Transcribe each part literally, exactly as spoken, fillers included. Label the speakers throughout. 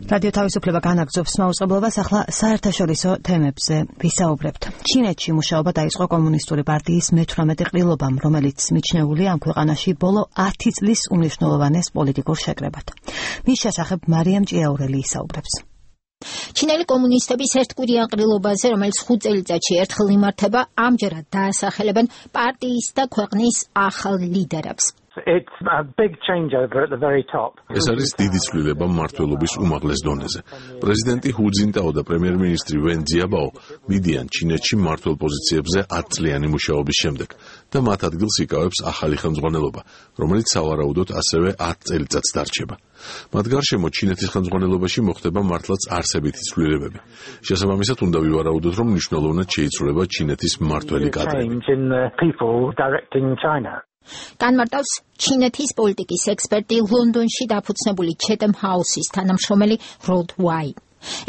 Speaker 1: რადიო თავისუფლება განაგრძობს მაუწყებლობას, ახლა საერთაშორისო თემებზე ვისაუბრებთ. ჩინეთში მუშაობა დაიწყო კომუნისტური პარტიის მეთვრამეტე ყრილობამ, რომელიც მიჩნეულია ამ ქვეყანაში ბოლო ათი წლის უმნიშვნელოვანეს პოლიტიკურ შეკრებად. მის შესახებ მარიამ ჭიაურელი ისაუბრებს.
Speaker 2: ჩინელი კომუნისტების ერთკვირიან ყრილობაზე, რომელიც ხუთ წელიწადში ერთხელ იმართება, ამჯერად დაასახელებენ პარტიის და ქვეყნის ახალ ლიდერებს.
Speaker 3: It's a big changeover at the very top.
Speaker 4: ეს არის დიდი ცვლილება მმართველობის უმაღლეს დონეზე. პრეზიდენტი ჰუ ძინტაო და პრემიერ-მინისტრი ვენ ძიაბაო მიდიან ჩინეთში მმართველ პოზიციებზე ათ წლიანი მუშაობის შემდეგ და მათ ადგილს იკავებს ახალი ხელმძღვანელობა, რომელიც სავარაუდოდ ასევე ათ წელიწადს დარჩება. მათ გარშემო ჩინეთის ხელმძღვანელობაში მოხდება მართლაც არსებითი ცვლილებები. შესაბამისად უნდა ვივარაუდოთ, რომ მნიშვნელოვნად შეიცვლება ჩინეთის მმართველი კადრები.
Speaker 2: განმარტავს ჩინეთის პოლიტიკის ექსპერტი ლონდონში დაფუძნებული ჩეთემ ჰაუსის თანამშრომელი როდ ვაი.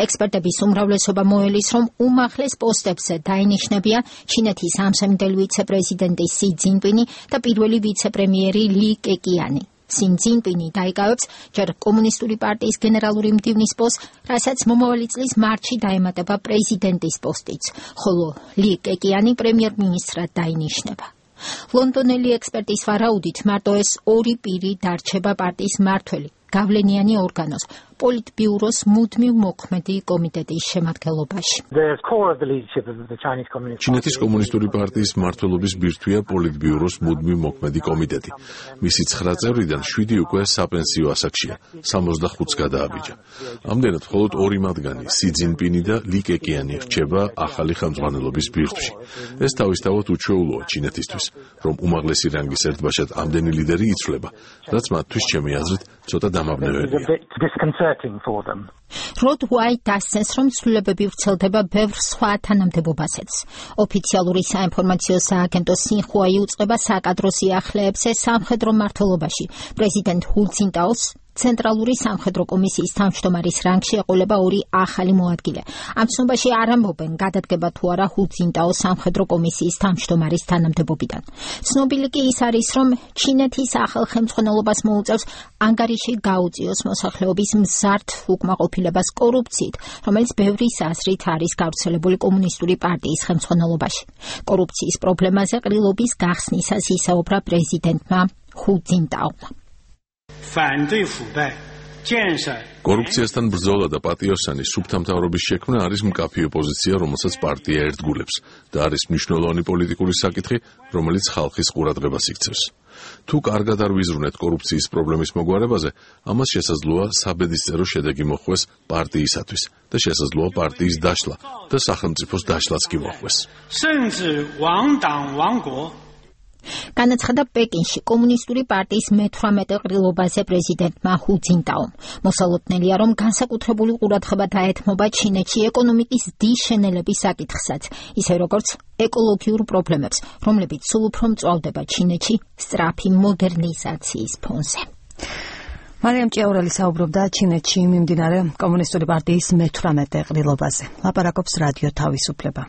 Speaker 2: ექსპერტების უმრავლესობა მოელის, რომ უმაღლეს პოსტებზე დაინიშნებიან ჩინეთის ამსამინდელი ვიცე-პრეზიდენტი სი ძინპინი და პირველი ვიცე-პრემიერი ლი კეკიანი. სი ძინპინი დაიკავებს ჯერ კომუნისტური პარტიის გენერალური მდივნის პოსტს, რასაც მომავალი წლის მარტში დაემატება პრეზიდენტის პოსტიც, ხოლო ლი კეკიანი პრემიერ-მინისტრად დაინიშნება. ლონდონელი ექსპერტის ვარაუდით, მარტო ეს ორი პირი დარჩება პარტიის მმართველი, გავლენიანი ორგანოს, პოლიტბიუროს მუდმივ მოქმედი კომიტეტის შემადგენლობაში.
Speaker 4: ჩინეთის კომუნისტური პარტიის მმართველობის ბირთვია პოლიტბიუროს მუდმივ მოქმედი კომიტეტი. მისი ცხრა წევრიდან შვიდი უკვე საპენსიო ასაკშია, სამოცდახუთს გადააბიჯა. ამდენად მხოლოდ ორი მათგანი, სი ძინპინი და ლი კეკიანი რჩება ახალი ხელმძღვანელობის ბირთვში. ეს თავისთავად უჩვეულოა ჩინეთისთვის, რომ უმაღლესი რანგის ერთბაშად ამდენი ლიდერი იცვლება, რაც მათთვის ჩემი აზრით ცოტა დამაბნეველია.
Speaker 2: როდ ვაი დასცენს, რომ ცვლილებები ვრცელდება ბევრ სხვა თანამდებობასაც. ოფიციალური საინფორმაციო სააგენტო სინხუა იუწყება საკადრო სიახლეებზე სამხედრო მმართველობაში. პრეზიდენტ ჰუ ძინტაოს ცენტრალური სამხედრო კომისიის თავმჯდომარის რანგში ეყოლება ორი ახალი მოადგილე. ამ ცნობაში არ ამბობენ, გადადგება თუ არა ჰუ ძინტაოს სამხედრო კომისიის თავმჯდომარის თანამდებობიდან. ცნობილი კი ის არის, რომ ჩინეთის ახალ ხელმძღვანელობას მოუწევს ანგარიში გაუწიოს მოსახლეობის მზარდ უკმაყოფილებას კორუფციით, რომელიც ბევრის აზრით არის გავრცელებული კომუნისტური პარტიის ხელმძღვანელობაში. კორუფციის პრობლემაზე ყრილობის გახსნისას ისაუბრა პრეზიდენტმა ჰუ ძინტაომა.
Speaker 4: კორუფციასთან ბრძოლა და პატიოსანი სუფთა მთავრობის შექმნა არის მკაფიო პოზიცია, რომელსაც პარტია ერთგულებს და არის მნიშვნელოვანი პოლიტიკური საკითხი, რომელიც ხალხის ყურადღებას იქცევს. თუ კარგად არ ვიზრუნეთ კორუფციის პრობლემის მოგვარებაზე, ამას შესაძლოა საბედისწერო შედეგი მოხვდეს პარტიისათვის და შესაძლოა პარტიის დაშლა და სახელმწიფოს დაშლაც კი მოხვდეს.
Speaker 2: განაცხადა პეკინში კომუნისტური პარტიის მეთვრამეტე ყრილობაზე პრეზიდენტმა ჰუ ძინტაომ. მოსალოდნელია, რომ განსაკუთრებული ყურადღება დაეთმობა ჩინეთში ეკონომიკის დიშენელების საკითხსაც, ისე როგორც ეკოლოგიურ პრობლემებს, რომლებიც სულ უფრო მწვავდება ჩინეთში სწრაფი მოდერნიზაციის ფონზე.
Speaker 1: მარიამ ჭიაურელი საუბრობდა ჩინეთში მიმდინარე კომუნისტური პარტიის მეთვრამეტე ყრილობაზე. ლაპარაკობს რადიო თავისუფლება.